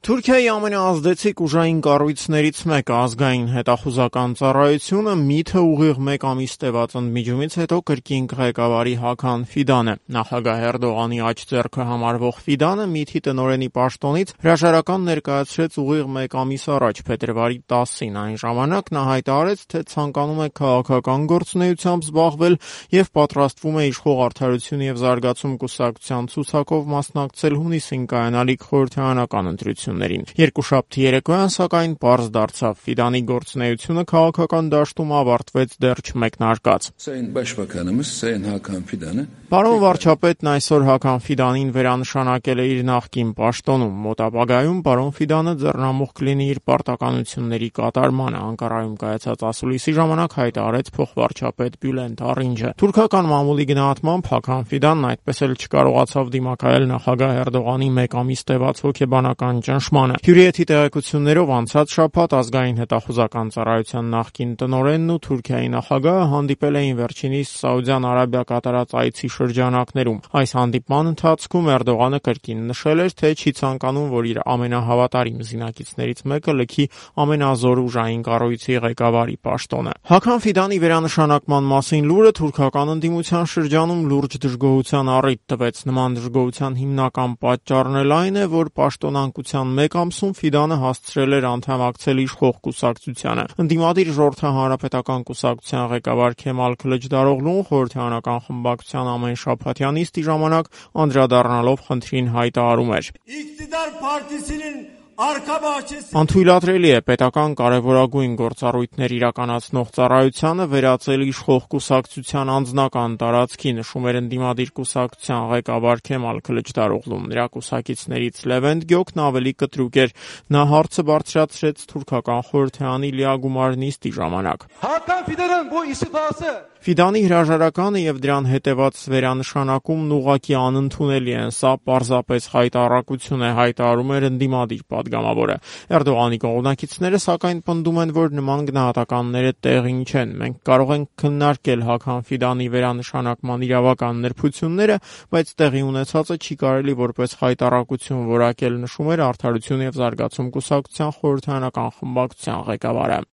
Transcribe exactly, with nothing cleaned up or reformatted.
Թուրքիայի ամենաազդեցիկ ուժային կառույցներից մեկը ազգային հետախուզական ծառայությունը միթե ուղիղ մեկ ամիս տևած ընդմիջումից հետո կրկին ղեկավարի Հաքան Ֆիդանը։ Նախագահ Էրդողանի աջ ձեռքը համարվող Ֆիդանը միթի տնօրենի պաշտոնից հրաժարական ներկայացրեց ուղիղ մեկ ամիս առաջ, փետրվարի տասին։ Այն ժամանակ նա հայտարարեց, թե ցանկանում է քաղաքական գործունեությամբ զբաղվել եւ պատրաստվում է իշխող Արդարություն եւ զարգացում կուսակցության ցուցակով մասնակցել հունիսին կայանալիք խորհրդարանական ընտրություններին։ Երկուշաբթի երեկոյան, սակայն, պարզ դարձավ, Ֆիդանի գործունեությունը քաղաքական դաշտում ավարտվեց դեռ չմեկնարկած։ Պարոն վարչապետն այսօր Հաքան Ֆիդանին վերանշանակել է իր նախկին պաշտոնում։ Մոտ ապագայում պարոն Ֆիդանը ձեռնամուխ կլինի իր պարտականությունների կատարմանը, Անկարայում կայացած ասուլիսի ժամանակ հայտարարեց փոխվարչապետ Բյուլենտ Արինջը։ Թուրքական մամուլի գնահատմամբ Հաքան Ֆիդանն այդպես էլ չկարողացավ դիմակայել նախագահ Էրդողանի մեկ ամիս տևած հոգեբանական ճնշմանը։ Հյուրիեթի տեղեկություններով անցած շաբաթ ազգային հետախուզական ծառայության նախկին տնօրենն ու Թուրքիայի նախագահը հանդիպել էին վերջինիս Սաուդյան Արաբիա կատարած այցի շրջանակներում։ Այս հանդիպման ընթացքում Էրդողանը կրկին նշել էր, թե չի ցանկանում, որ իր ամենահավատարիմ զինակիցներից մեկը լքի ամենազոր ուժային կառույցի ղեկավարի պաշտոնը։ Հաքան Ֆիդանի վերանշանակման մասին լուրը թուրքական ընդդիմության շրջանում լուրջ դժգոհության առիթ տվեց։ Նման դժգոհության հիմնական պատճառն էլ այն է, որ պաշտոնանկության մեկ ամսում Ֆիդանը հասցրել էր անդամակցել իշխող կուսակցությանը։ Ընդդիմադիր Ժողովրդի հանրապետական կուսակցության ղեկավար Քեմալ Քլիչդարօղլուն խորհրդարանական խմբակցության ամենշաբաթյա նիստի ժամանակ անդրադառնալով խնդրին հայտարարում էր. Անթույլատրելի է պետական կարևորագույն գործառույթներ իրականացնող ծառայությանը վերածել իշխող կուսակցության անձնական տարածքի, նշում էր ընդդիմադիր կուսակցության ղեկավար Քեմալ Քլիչդարօղլուն։ Նրա կուսակիցներից Լևենտ Գյոքն ավելի կտրուկ էր։ Նա հարցը բարձրացրեց թուրքական խորհրդարանի լիագումար նիստի ժամանակ։ Ֆիդանի հրաժարականը եւ դրան հետեւած վերանշանակումն ուղղակի անընդունելի են, սա պարզապես խայտառակություն է, հայտարարում էր ընդդիմադիր падգամավորը։ Էրդողանի կողմնակիցները սակայն պնդում են, որ նման գնահատականները տեղին չեն։ Մենք կարող ենք քննարկել Հաքան Ֆիդանի վերանշանակման իրավական նրբությունները, բայց տեղի ունեցածը չի կարելի որպես խայտառակություն որակել, նշում էր Արդարություն եւ զարգացում կուսակցության խորհրդարանական խմբակցության ղեկավարը։